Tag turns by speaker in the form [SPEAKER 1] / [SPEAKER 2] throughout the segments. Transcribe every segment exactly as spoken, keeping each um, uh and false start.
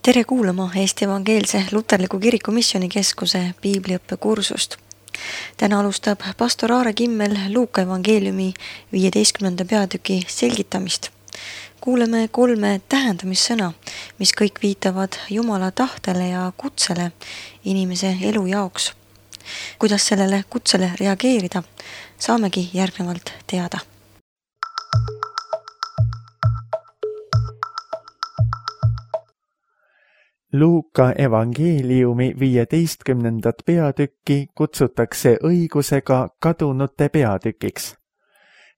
[SPEAKER 1] Tere kuulama Eesti Evangeelse Luterliku Kiriku Missioonikeskuse piibliõppekursust. Täna alustab pastor Aare Kimmel Luuka evangeeliumi viieteistkümnenda peatüki selgitamist. Kuuleme kolme tähendamissõna, mis kõik viitavad Jumala tahtele ja kutsele inimese elu jaoks. Kuidas sellele kutsele reageerida, saamegi järgnevalt teada.
[SPEAKER 2] Luuka evangeeliumi viieteistkümnendat peatükki kutsutakse õigusega kadunute peatükiks.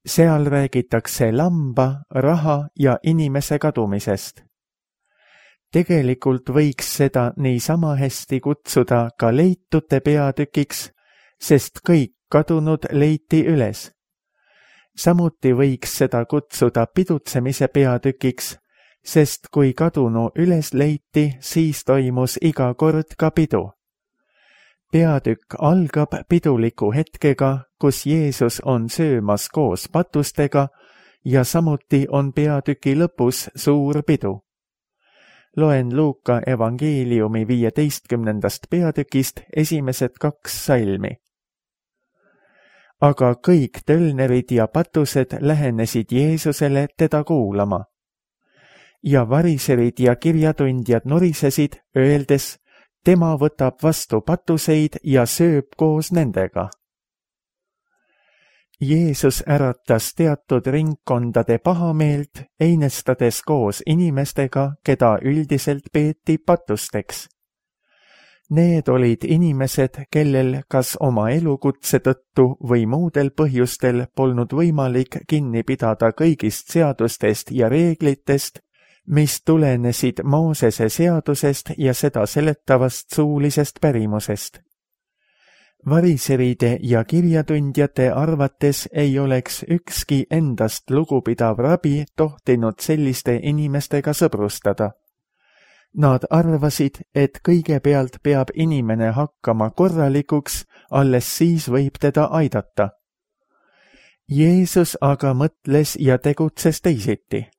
[SPEAKER 2] Seal räägitakse lamba, raha ja inimese kadumisest. Tegelikult võiks seda niisama hästi kutsuda ka leitute peatükiks, sest kõik kadunud leiti üles. Samuti võiks seda kutsuda pidutsemise peatükiks, sest kui kadunu üles leiti, siis toimus iga kord ka pidu. Peatükk algab piduliku hetkega, kus Jeesus on söömas koos patustega ja samuti on peatüki lõpus suur pidu. Loen Luuka evangeeliumi viieteistkümnendast peatükist esimesed kaks salmi. Aga kõik tölnerid ja patused lähenesid Jeesusele teda kuulama. Ja variserid ja kirjatundjad norisesid, öeldes, tema võtab vastu patuseid ja sööb koos nendega. Jeesus äratas teatud ringkondade pahameelt, einestades koos inimestega, keda üldiselt peeti patusteks. Need olid inimesed, kellel kas oma elukutse tõttu või muudel põhjustel polnud võimalik kinni pidada kõigist seadustest ja reeglitest, mis tulenesid Moosese seadusest ja seda seletavast suulisest pärimusest. Variseride ja kirjatundjate arvates ei oleks ükski endast lugupidav rabi tohtinud selliste inimestega sõbrustada. Nad arvasid, et kõigepealt peab inimene hakkama korralikuks, alles siis võib teda aidata. Jeesus aga mõtles ja tegutses teisiti.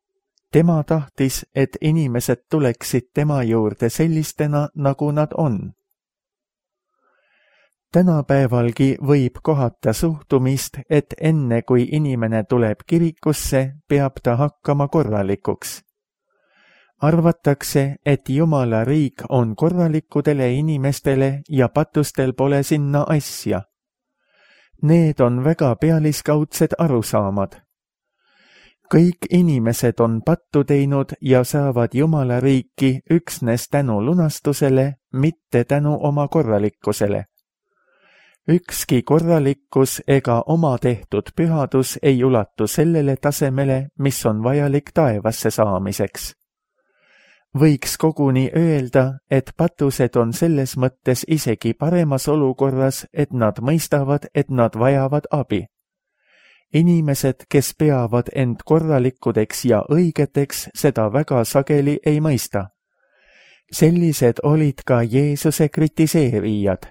[SPEAKER 2] Tema tahtis, et inimesed tuleksid tema juurde sellistena, nagu nad on. Tänapäevalgi võib kohata suhtumist, et enne kui inimene tuleb kirikusse, peab ta hakkama korralikuks. Arvatakse, et Jumala riik on korralikudele inimestele ja patustel pole sinna asja. Need on väga pealiskaudsed arusaamad. Kõik inimesed on pattu teinud ja saavad Jumala riiki üksnes tänu lunastusele, mitte tänu oma korralikkusele. Ükski korralikkus ega oma tehtud pühadus ei ulatu sellele tasemele, mis on vajalik taevasse saamiseks. Võiks koguni öelda, et patused on selles mõttes isegi paremas olukorras, et nad mõistavad, et nad vajavad abi. Inimesed, kes peavad end korralikudeks ja õigeteks, seda väga sageli ei mõista. Sellised olid ka Jeesuse kritiseerijad.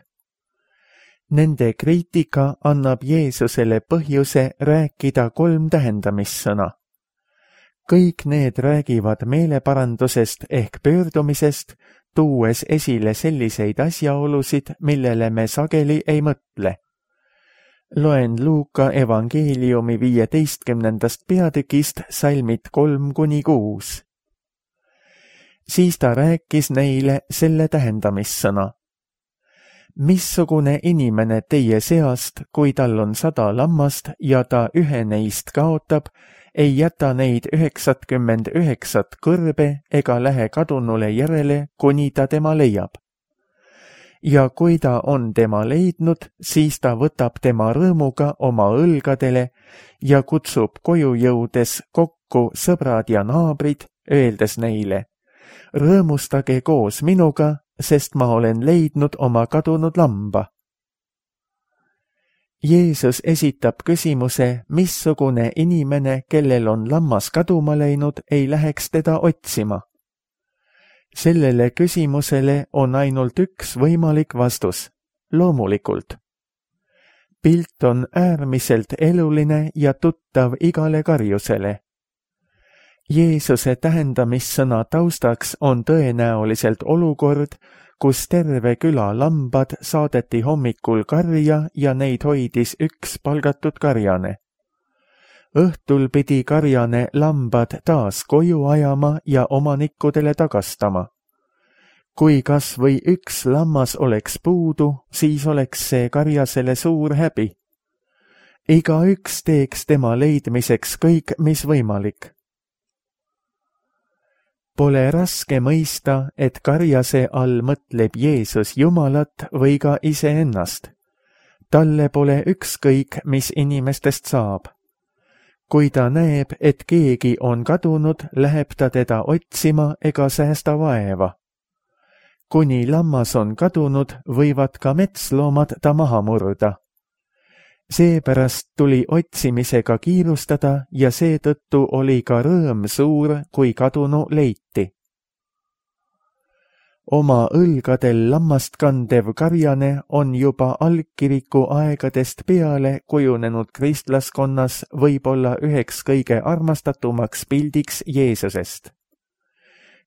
[SPEAKER 2] Nende kriitika annab Jeesusele põhjuse rääkida kolm tähendamissõna. Kõik need räägivad meeleparandusest ehk pöördumisest, tuues esile selliseid asjaolusid, millele me sageli ei mõtle. Loen Luuka evangeeliumi viieteistkümnendast peatükist salmid kolm kuni kuus. Siis ta rääkis neile selle tähendamissõna. Missugune inimene teie seast, kui tal on sada lammast ja ta ühe neist kaotab, ei jäta neid üheksakümmend üheksat kõrbe ega lähe kadunule järele, kuni ta tema leiab. Ja kui ta on tema leidnud, siis ta võtab tema rõõmuga oma õlgadele ja kutsub koju jõudes kokku sõbrad ja naabrid, öeldes neile, rõõmustage koos minuga, sest ma olen leidnud oma kadunud lamba. Jeesus esitab küsimuse, missugune inimene, kellel on lammas kaduma läinud, ei läheks teda otsima. Sellele küsimusele on ainult üks võimalik vastus, loomulikult. Pilt on äärmiselt eluline ja tuttav igale karjusele. Jeesuse tähendamissõna taustaks on tõenäoliselt olukord, kus terve küla lambad saadeti hommikul karja ja neid hoidis üks palgatud karjane. Õhtul pidi karjane lambad taas koju ajama ja omanikkudele tagastama. Kui kas või üks lammas oleks puudu, siis oleks see karjasele suur häbi. Igaüks teeks tema leidmiseks kõik, mis võimalik. Pole raske mõista, et karjase all mõtleb Jeesus Jumalat või ka iseennast. Talle pole ükskõik, mis inimestest saab. Kui ta näeb, et keegi on kadunud, läheb ta teda otsima ega säästa vaeva. Kuni lammas on kadunud, võivad ka metsloomad ta maha murda. Seepärast tuli otsimisega kiirustada ja seetõttu oli ka rõõm suur, kui kadunu leiti. Oma õlgadel lammast kandev karjane on juba algkiriku aegadest peale kujunenud kristlaskonnas võib-olla üheks kõige armastatumaks pildiks Jeesusest.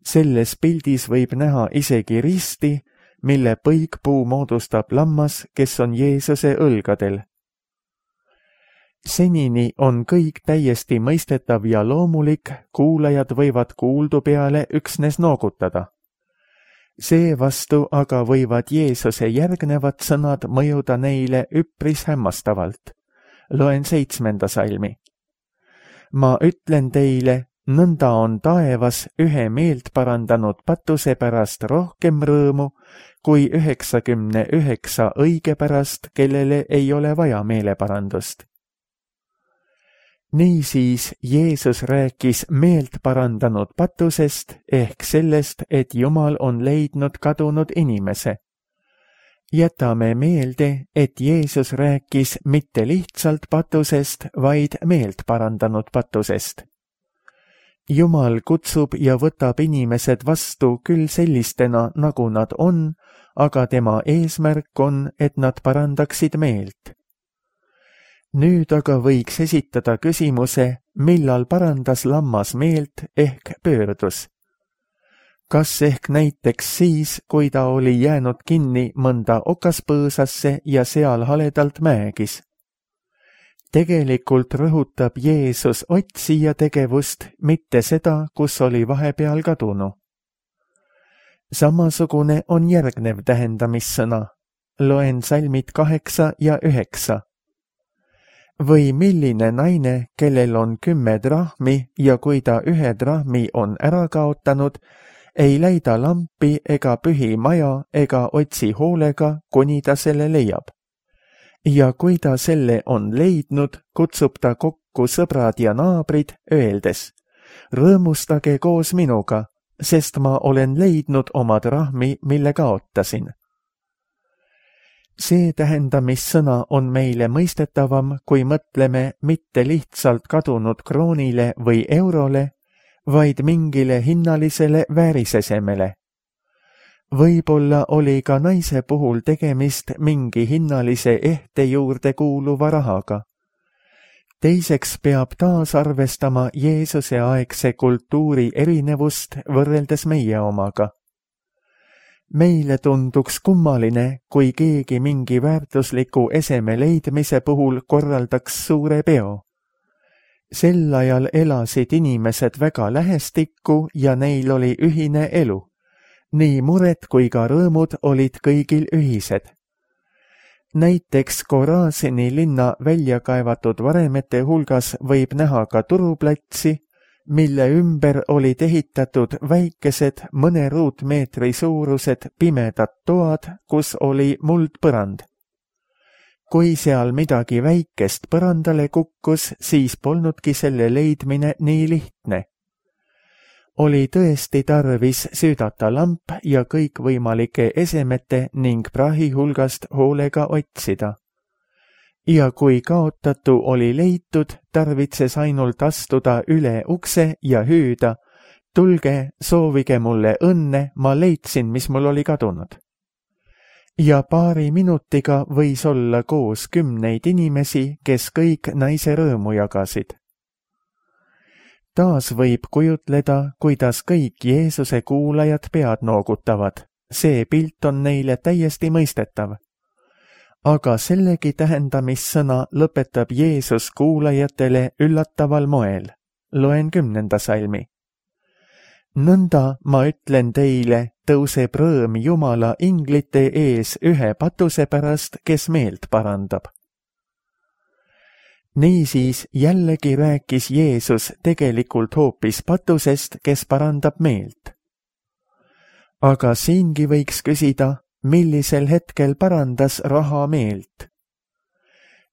[SPEAKER 2] Selles pildis võib näha isegi risti, mille põikpuu moodustab lammas, kes on Jeesuse õlgadel. Senini on kõik täiesti mõistetav ja loomulik, kuulajad võivad kuuldu peale üksnes noogutada. Seevastu aga võivad Jeesuse järgnevad sõnad mõjuda neile üpris hämmastavalt. Loen seitsmenda salmi. Ma ütlen teile, nõnda on taevas ühe meelt parandanud patuse pärast rohkem rõõmu, kui üheksakümne üheksa õige pärast, kellele ei ole vaja meeleparandust. Niisiis Jeesus rääkis meelt parandanud patusest ehk sellest, et Jumal on leidnud kadunud inimese. Jätame meelde, et Jeesus rääkis mitte lihtsalt patusest, vaid meelt parandanud patusest. Jumal kutsub ja võtab inimesed vastu küll sellistena, nagu nad on, aga tema eesmärk on, et nad parandaksid meelt. Nüüd aga võiks esitada küsimuse, millal parandas lammas meelt ehk pöördus. Kas ehk näiteks siis, kui ta oli jäänud kinni mõnda okaspõõsasse ja seal haledalt mäegis? Tegelikult rõhutab Jeesus otsija tegevust, mitte seda, kus oli vahepeal kadunu. Samasugune on järgnev tähendamissõna. Loen salmid kaheksa ja üheksa. Või milline naine, kellel on kümme drahmi ja kui ta ühe drahmi on ära kaotanud, ei läida lampi ega pühi maja ega otsi hoolega, kuni ta selle leiab. Ja kui ta selle on leidnud, kutsub ta kokku sõbrad ja naabrid, öeldes, rõõmustage koos minuga, sest ma olen leidnud oma drahmi, mille kaotasin. See tähendamissõna on meile mõistetavam, kui mõtleme mitte lihtsalt kadunud kroonile või eurole, vaid mingile hinnalisele väärisesemele. Võib-olla oli ka naise puhul tegemist mingi hinnalise ehte juurde kuuluva rahaga. Teiseks peab taas arvestama Jeesuse aegse kultuuri erinevust võrreldes meie omaga. Meile tunduks kummaline, kui keegi mingi väärtusliku eseme leidmise puhul korraldaks suure peo. Sel ajal elasid inimesed väga lähestikku ja neil oli ühine elu. Nii mured kui ka rõõmud olid kõigil ühised. Näiteks Korasini linna välja kaevatud varemete hulgas võib näha ka turuplatsi, mille ümber olid ehitatud väikesed mõne ruutmeetri suurused pimedad toad, kus oli muldpõrand. Kui seal midagi väikest põrandale kukkus, siis polnudki selle leidmine nii lihtne. Oli tõesti tarvis süüdata lamp ja kõikvõimalike esemete ning prahi hulgast hoolega otsida. Ja kui kaotatu oli leitud, tarvitses ainult astuda üle ukse ja hüüda, tulge, soovige mulle õnne, ma leidsin, mis mul oli kadunud. Ja paari minutiga võis olla koos kümneid inimesi, kes kõik naise rõõmu jagasid. taas võib kujutleda, kuidas kõik Jeesuse kuulajad pead noogutavad. See pilt on neile täiesti mõistetav. Aga sellegi tähendamissõna lõpetab Jeesus kuulajatele üllataval moel. Loen kümnenda salmi. Nõnda ma ütlen teile, tõuseb rõõm Jumala inglite ees ühe patuse pärast, kes meelt parandab. Niisiis jällegi rääkis Jeesus tegelikult hoopis patusest, kes parandab meelt. Aga siingi võiks küsida, millisel hetkel parandas raha meelt.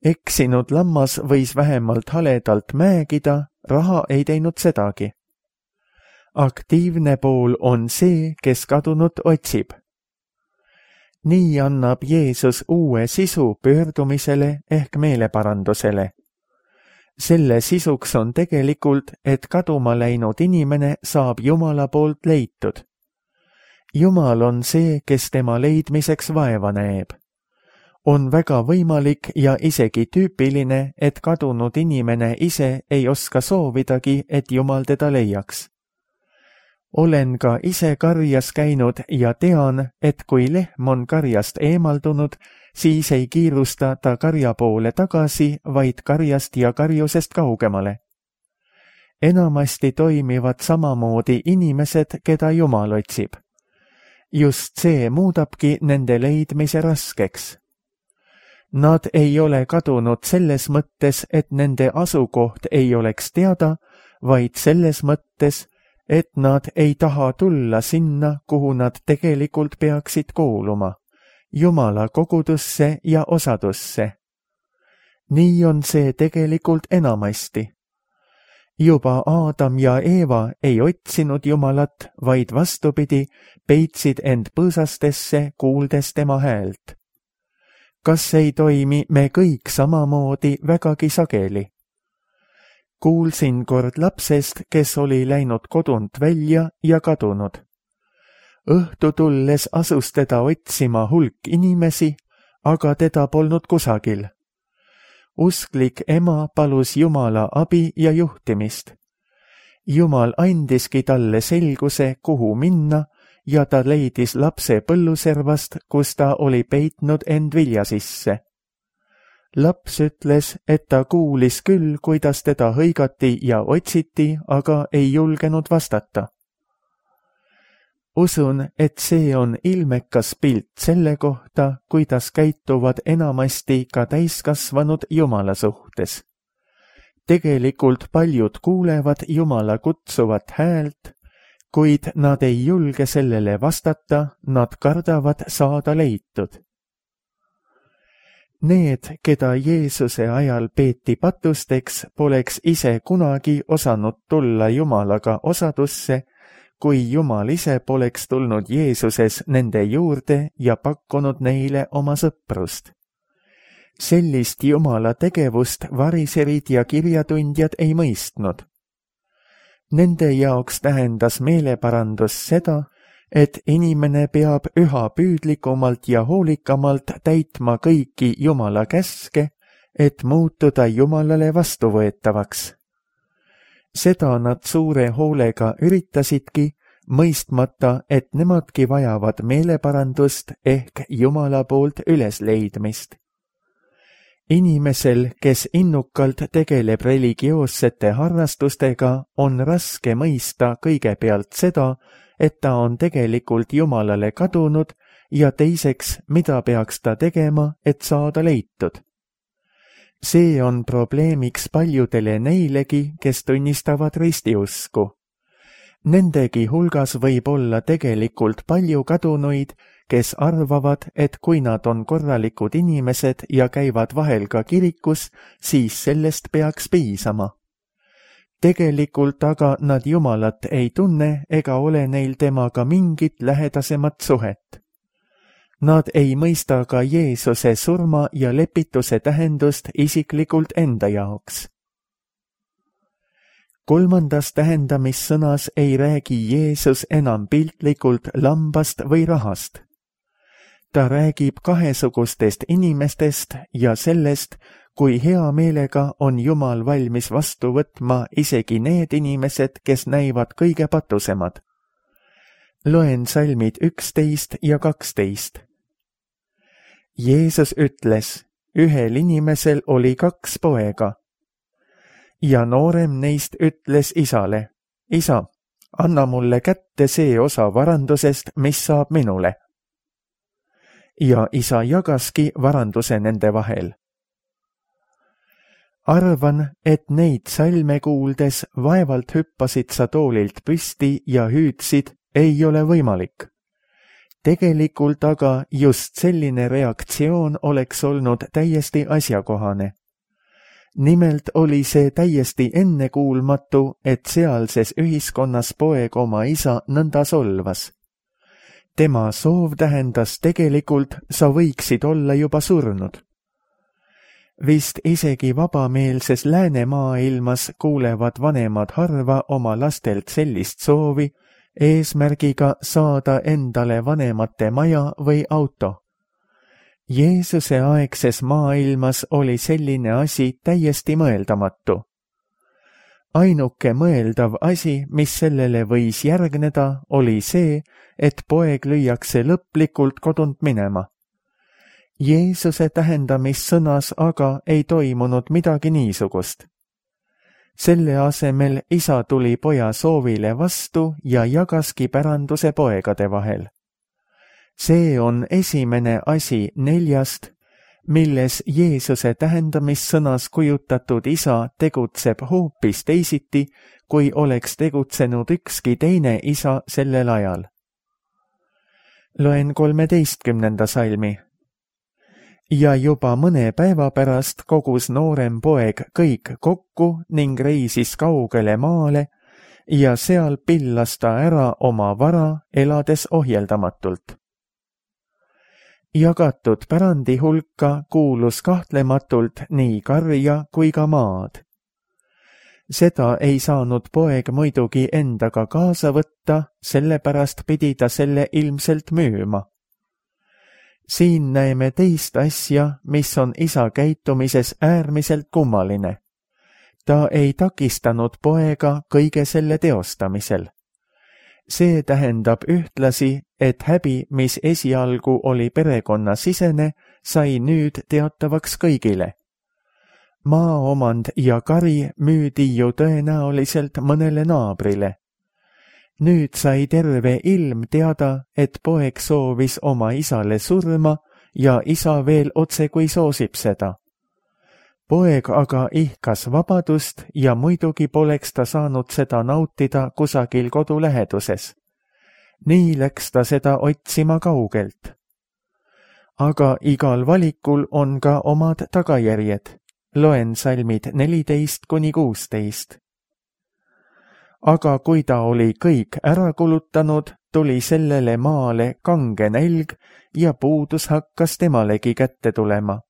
[SPEAKER 2] Eksinud lammas võis vähemalt haledalt määgida, raha ei teinud sedagi. Aktiivne pool on see, kes kadunut otsib. Nii annab Jeesus uue sisu pöördumisele ehk meeleparandusele. Selle sisuks on tegelikult, et kaduma läinud inimene saab Jumala poolt leitud. Jumal on see, kes tema leidmiseks vaeva näeb. On väga võimalik ja isegi tüüpiline, et kadunud inimene ise ei oska soovidagi, et Jumal teda leiaks. Olen ka ise karjas käinud ja tean, et kui lehm on karjast eemaldunud, siis ei kiirusta ta karja poole tagasi, vaid karjast ja karjusest kaugemale. Enamasti toimivad samamoodi inimesed, keda Jumal otsib. Just see muudabki nende leidmise raskeks. Nad ei ole kadunud selles mõttes, et nende asukoht ei oleks teada, vaid selles mõttes, et nad ei taha tulla sinna, kuhu nad tegelikult peaksid kuuluma, Jumala kogudusse ja osadusse. Nii on see tegelikult enamasti. Juba Aadam ja Eeva ei otsinud Jumalat, vaid vastupidi, peitsid end põõsastesse, kuuldes tema häält. Kas ei toimi me kõik samamoodi vägagi sageli? Kuulsin kord lapsest, kes oli läinud kodunt välja ja kadunud. Õhtu tulles asus teda otsima hulk inimesi, aga teda polnud kusagil. Usklik ema palus Jumala abi ja juhtimist. Jumal andiski talle selguse, kuhu minna, ja ta leidis lapse põlluservast, kus ta oli peitnud end vilja sisse. Laps ütles, et ta kuulis küll, kuidas teda hõigati ja otsiti, aga ei julgenud vastata. Usun, et see on ilmekas pilt selle kohta, kuidas käituvad enamasti ka täiskasvanud Jumala suhtes. Tegelikult paljud kuulevad Jumala kutsuvat häält, kuid nad ei julge sellele vastata, nad kardavad saada leitud. Need, keda Jeesuse ajal peeti patusteks, poleks ise kunagi osanud tulla Jumalaga osadusse, kui Jumal ise poleks tulnud Jeesuses nende juurde ja pakkunud neile oma sõprust. Sellist Jumala tegevust variserid ja kirjatundjad ei mõistnud. Nende jaoks tähendas meeleparandus seda, et inimene peab üha püüdlikumalt ja hoolikamalt täitma kõiki Jumala käske, et muutuda Jumalale vastuvõetavaks. Seda nad suure hoolega üritasidki, mõistmata, et nemadki vajavad meeleparandust ehk Jumala poolt ülesleidmist. Inimesel, kes innukalt tegeleb religioossete harrastustega, on raske mõista kõigepealt seda, et ta on tegelikult Jumalale kadunud ja teiseks, mida peaks ta tegema, et saada leitud. See on probleemiks paljudele neilegi, kes tunnistavad ristiusku. Nendegi hulgas võib olla tegelikult palju kadunuid, kes arvavad, et kui nad on korralikud inimesed ja käivad vahel ka kirikus, siis sellest peaks piisama. Tegelikult aga nad Jumalat ei tunne ega ole neil temaga mingit lähedasemat suhet. Nad ei mõista ka Jeesuse surma ja lepituse tähendust isiklikult enda jaoks. Kolmandas tähendamissõnas ei räägi Jeesus enam piltlikult lambast või rahast. Ta räägib kahesugustest inimestest ja sellest, kui hea meelega on Jumal valmis vastu võtma isegi need inimesed, kes näivad kõige patusemad. Loen salmid üksteist ja kaksteist. Jeesus ütles, ühel inimesel oli kaks poega. Ja noorem neist ütles isale, isa, anna mulle kätte see osa varandusest, mis saab minule. Ja isa jagaski varanduse nende vahel. Arvan, et neid salme kuuldes vaevalt hüppasid sa toolilt püsti ja hüüdsid, ei ole võimalik. Tegelikult aga just selline reaktsioon oleks olnud täiesti asjakohane. Nimelt oli see täiesti ennekuulmatu, et sealses ühiskonnas poeg oma isa nõnda solvas. Tema soov tähendas tegelikult, sa võiksid olla juba surnud. Vist isegi vabameelses läänemaailmas kuulevad vanemad harva oma lastelt sellist soovi, eesmärgiga saada endale vanemate maja või auto. Jeesuse aegses maailmas oli selline asi täiesti mõeldamatu. Ainuke mõeldav asi, mis sellele võis järgneda, oli see, et poeg lüüakse lõplikult kodunt minema. Jeesuse tähendamissõnas aga ei toimunud midagi niisugust. Selle asemel isa tuli poja soovile vastu ja jagaski päranduse poegade vahel. See on esimene asi neljast, milles Jeesuse tähendamissõnas kujutatud isa tegutseb hoopis teisiti, kui oleks tegutsenud ükski teine isa sellel ajal. Loen kolmeteistkümnenda salmi. Ja juba mõne päeva pärast kogus noorem poeg kõik kokku ning reisis kaugele maale ja seal pillas ta ära oma vara, elades ohjeldamatult. Jagatud pärandi hulka kuulus kahtlematult nii karja kui ka maad. Seda ei saanud poeg muidugi endaga kaasa võtta, sellepärast pidi ta selle ilmselt müüma. Siin näeme teist asja, mis on isa käitumises äärmiselt kummaline. Ta ei takistanud poega kõige selle teostamisel. See tähendab ühtlasi, et häbi, mis esialgu oli perekonnasisene, sai nüüd teatavaks kõigile. Maaomand ja kari müüdi ju tõenäoliselt mõnele naabrile. Nüüd sai terve ilm teada, et poeg soovis oma isale surma ja isa veel otse kui soosib seda. Poeg aga ihkas vabadust ja muidugi poleks ta saanud seda nautida kusagil kodu läheduses. Nii läks ta seda otsima kaugelt. Aga igal valikul on ka omad tagajärjed. Loen salmid neliteist kuni kuusteist. Aga kui ta oli kõik ära kulutanud, tuli sellele maale kange nälg ja puudus hakkas temalegi kätte tulema.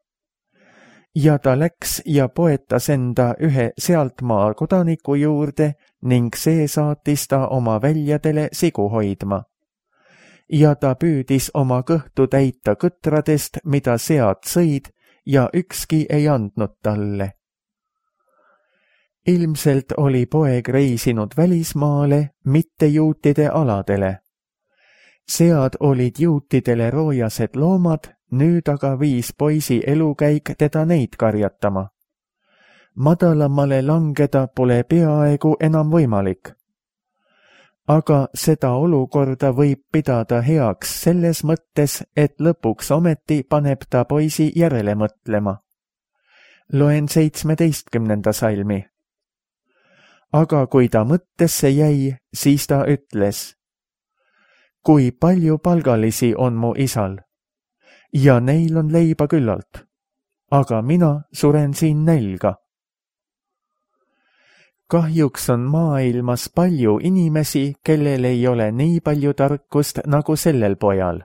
[SPEAKER 2] Ja ta läks ja poetas enda ühe sealtmaa kodaniku juurde ning see saatis ta oma väljadele sigu hoidma. Ja ta püüdis oma kõhtu täita kõtradest, mida sead sõid, ja ükski ei andnud talle. Ilmselt oli poeg reisinud välismaale, mitte juutide aladele. Sead olid juutidele roojased loomad, nüüd aga viis poisi elukäik teda neid karjatama. Madalamale langeda pole peaaegu enam võimalik. Aga seda olukorda võib pidada heaks selles mõttes, et lõpuks ometi paneb ta poisi järele mõtlema. Loen seitsmeteistkümnenda salmi. Aga kui ta mõttesse jäi, siis ta ütles, kui palju palgalisi on mu isal, ja neil on leiba küllalt, aga mina suren siin nälga. Kahjuks on maailmas palju inimesi, kellel ei ole nii palju tarkust nagu sellel pojal.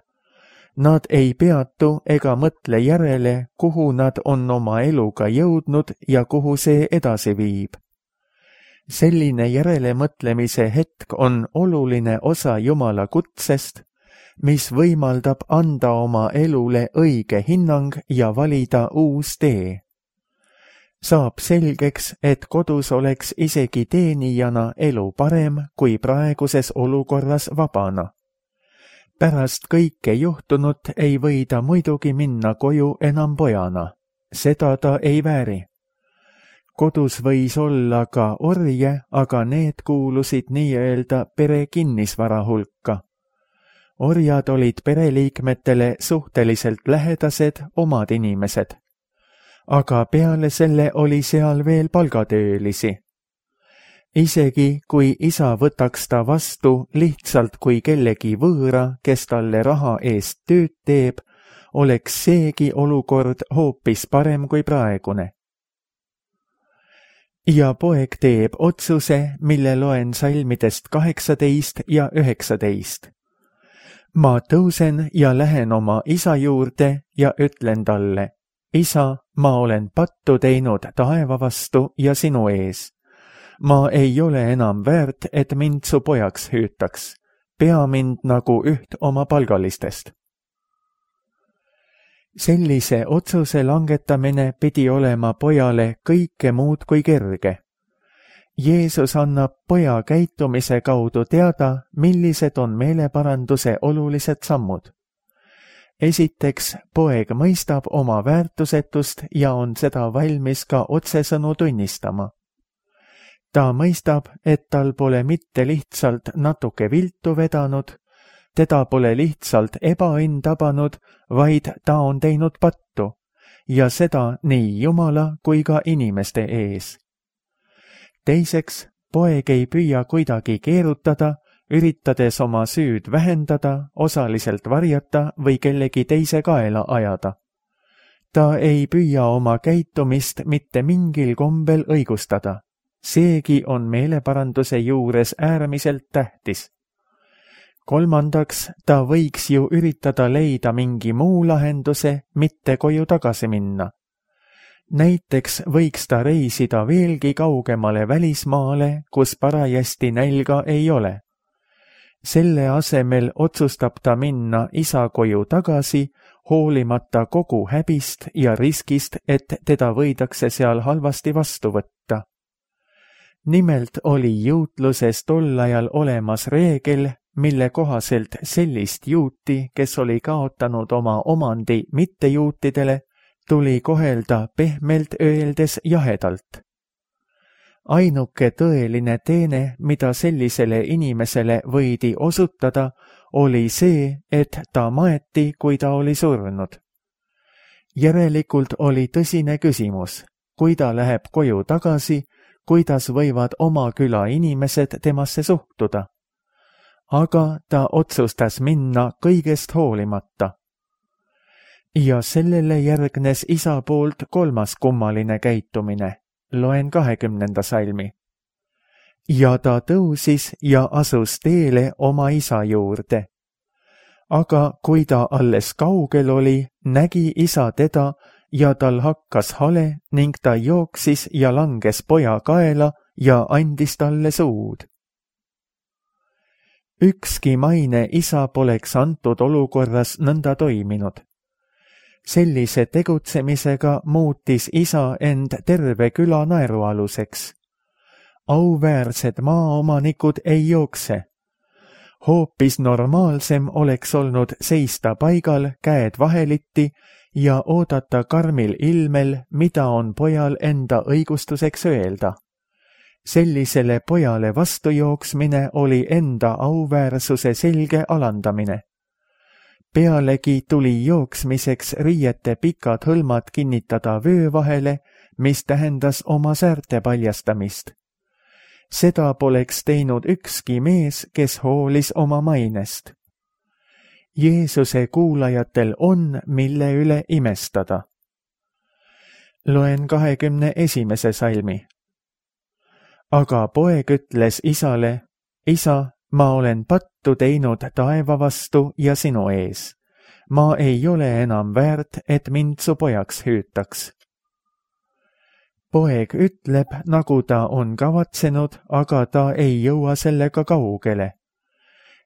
[SPEAKER 2] Nad ei peatu ega mõtle järele, kuhu nad on oma eluga jõudnud ja kuhu see edasi viib. Selline järelemõtlemise hetk on oluline osa Jumala kutsest, mis võimaldab anda oma elule õige hinnang ja valida uus tee. saab selgeks, et kodus oleks isegi teenijana elu parem kui praeguses olukorras vabana. Pärast kõike juhtunut ei või ta muidugi minna koju enam pojana. Seda ta ei vääri. Kodus võis olla ka orje, aga need kuulusid nii-öelda pere kinnisvara hulka. Orjad olid pereliikmetele suhteliselt lähedased omad inimesed. Aga peale selle oli seal veel palgatöölisi. Isegi kui isa võtaks ta vastu lihtsalt kui kellegi võõra, kes talle raha eest tööd teeb, oleks seegi olukord hoopis parem kui praegune. Ja poeg teeb otsuse, mille loen salmidest kaheksateist ja üheksateist. Ma tõusen ja lähen oma isa juurde ja ütlen talle, isa, ma olen pattu teinud taeva vastu ja sinu ees. Ma ei ole enam väärt, et mind su pojaks hüütaks. Pea mind nagu üht oma palgalistest. Sellise otsuse langetamine pidi olema pojale kõike muud kui kerge. Jeesus annab poja käitumise kaudu teada, millised on meeleparanduse olulised sammud. Esiteks, poeg mõistab oma väärtusetust ja on seda valmis ka otsesõnu tunnistama. Ta mõistab, et tal pole mitte lihtsalt natuke viltu vedanud, teda pole lihtsalt ebaõnn tabanud, vaid ta on teinud pattu, ja seda nii Jumala kui ka inimeste ees. Teiseks, poeg ei püüa kuidagi keerutada, üritades oma süüd vähendada, osaliselt varjata või kellegi teise kaela ajada. Ta ei püüa oma käitumist mitte mingil kombel õigustada. Seegi on meeleparanduse juures äärmiselt tähtis. Kolmandaks, ta võiks ju üritada leida mingi muu lahenduse, mitte koju tagasi minna. Näiteks võiks ta reisida veelgi kaugemale välismaale, kus parajasti nälga ei ole. Selle asemel otsustab ta minna isa koju tagasi, hoolimata kogu häbist ja riskist, et teda võidakse seal halvasti vastu võtta. Nimelt oli juutluses tol ajal olemas reegel, mille kohaselt sellist juuti, kes oli kaotanud oma omandi mittejuutidele, tuli kohelda pehmelt öeldes jahedalt. Ainuke tõeline teene, mida sellisele inimesele võidi osutada, oli see, et ta maeti, kui ta oli surnud. Järelikult oli tõsine küsimus, kui ta läheb koju tagasi, kuidas võivad oma küla inimesed temasse suhtuda. Aga ta otsustas minna kõigest hoolimata. Ja sellele järgnes isa poolt kolmas kummaline käitumine. Loen kahekümnenda salmi. Ja ta tõusis ja asus teele oma isa juurde. Aga kui ta alles kaugel oli, nägi isa teda ja tal hakkas hale ning ta jooksis ja langes poja kaela ja andis talle suud. Ükski maine isa poleks antud olukorras nõnda toiminud. Sellise tegutsemisega muutis isa end terve küla naerualuseks. Auväärsed maaomanikud ei jookse. Hoopis normaalsem oleks olnud seista paigal, käed vaheliti ja oodata karmil ilmel, mida on pojal enda õigustuseks öelda. Sellisele pojale vastujooksmine oli enda auväärsuse selge alandamine. Pealegi tuli jooksmiseks riiete pikad hõlmad kinnitada vöö vahele, mis tähendas oma säärte paljastamist. Seda poleks teinud ükski mees, kes hoolis oma mainest. Jeesuse kuulajatel on, mille üle imestada. Loen kahekümne esimese salmi. Aga poeg ütles isale, isa, ma olen pattu teinud taeva vastu ja sinu ees. Ma ei ole enam väärt, et mind su pojaks hüütaks. Poeg ütleb, nagu ta on kavatsenud, aga ta ei jõua sellega kaugele.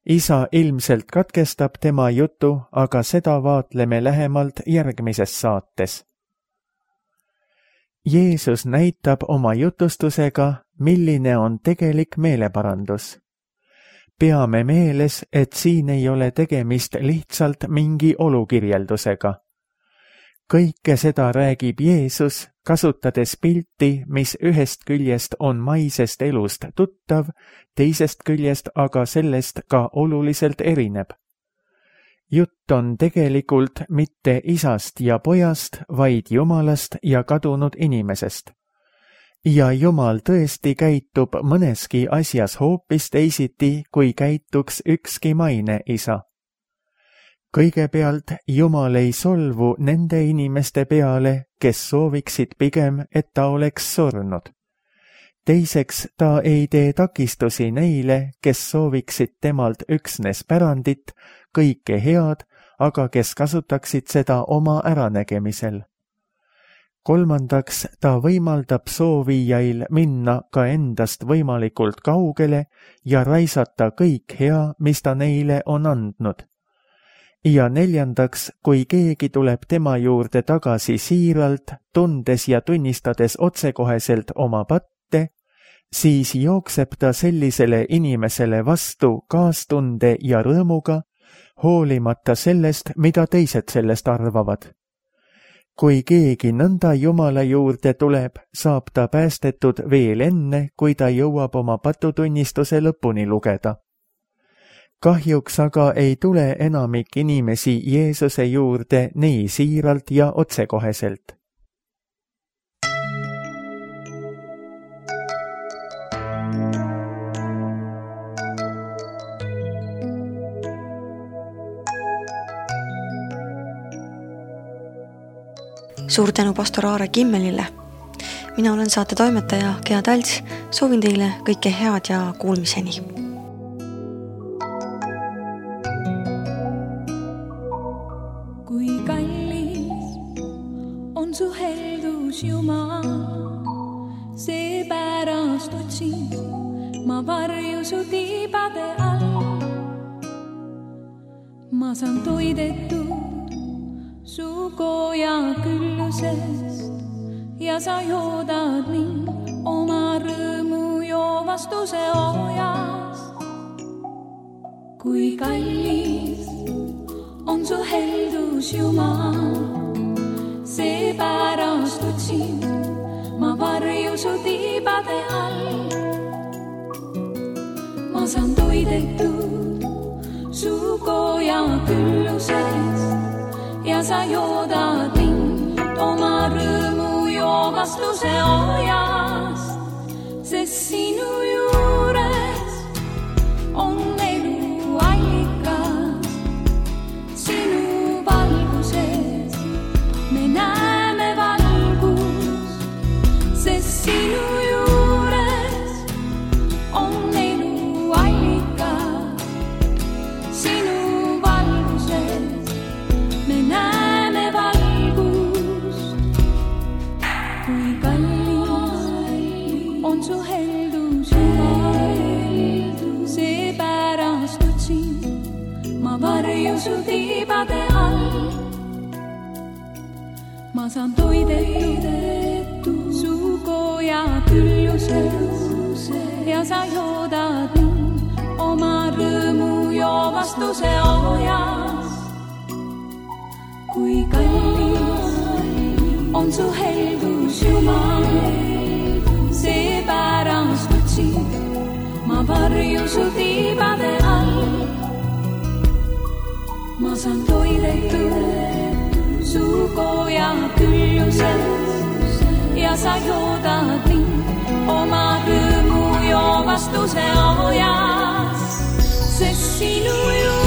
[SPEAKER 2] Isa ilmselt katkestab tema jutu, aga seda vaatleme lähemalt järgmises saates. Jeesus näitab oma jutustusega, milline on tegelik meeleparandus. Peame meeles, et siin ei ole tegemist lihtsalt mingi olukirjeldusega. Kõike seda räägib Jeesus, kasutades pilti, mis ühest küljest on maisest elust tuttav, teisest küljest aga sellest ka oluliselt erineb. Jutt on tegelikult mitte isast ja pojast, vaid Jumalast ja kadunud inimesest. Ja Jumal tõesti käitub mõneski asjas hoopis teisiti, kui käituks ükski maine isa. Kõigepealt Jumal ei solvu nende inimeste peale, kes sooviksid pigem, et ta oleks surnud. Teiseks, ta ei tee takistusi neile, kes sooviksid temalt üksnes pärandit, kõike head, aga kes kasutaksid seda oma äranägemisel. Kolmandaks, ta võimaldab soovijail minna ka endast võimalikult kaugele ja raisata kõik hea, mis ta neile on andnud. Ja neljandaks, kui keegi tuleb tema juurde tagasi siiralt, tundes ja tunnistades otsekoheselt oma patte, siis jookseb ta sellisele inimesele vastu kaastunde ja rõõmuga, hoolimata sellest, mida teised sellest arvavad. Kui keegi nõnda Jumala juurde tuleb, saab ta päästetud veel enne, kui ta jõuab oma patutunnistuse lõpuni lugeda. Kahjuks aga ei tule enamik inimesi Jeesuse juurde nii siiralt ja otsekoheselt.
[SPEAKER 1] Suur tänu pastor Aare Kimmelile. Mina olen saate toimetaja Gea Talts. Soovin teile kõike head ja kuulmiseni.
[SPEAKER 3] Kui kallis on su heldus Jumal, seepärast otsin ma varju su tiibade all. Ma saan toidetud su koja küllusest ja sa joodad mind oma rõõmu joovastuse ojast. Kui kallis on su heldus Jumal, seepärast otsin ma varju su tiibade all. Ma saan toidetud su koja küllusest ja sa joodad mind oma rõõmu joovastuse ojast, sest sinu juures on elu allikas. Sinu valguses me näeme valgust, sest sinu juures on elu allikas. Sinu valguses me näeme valgust. Kui kallis on su heldus Jumal, seepärast otsin ma varju su tiibade all. Ma saan toidetud su koja külluses ja sa joodad mind oma rõõmu joovastuse ojast. Kui kallis on su heldus Jumal, seepärast otsin ma varju su tiibade all. Ma saan toidetud su koja külluses ja sa joodad mind oma rõõmu joovastuse ojast, sest sinu ju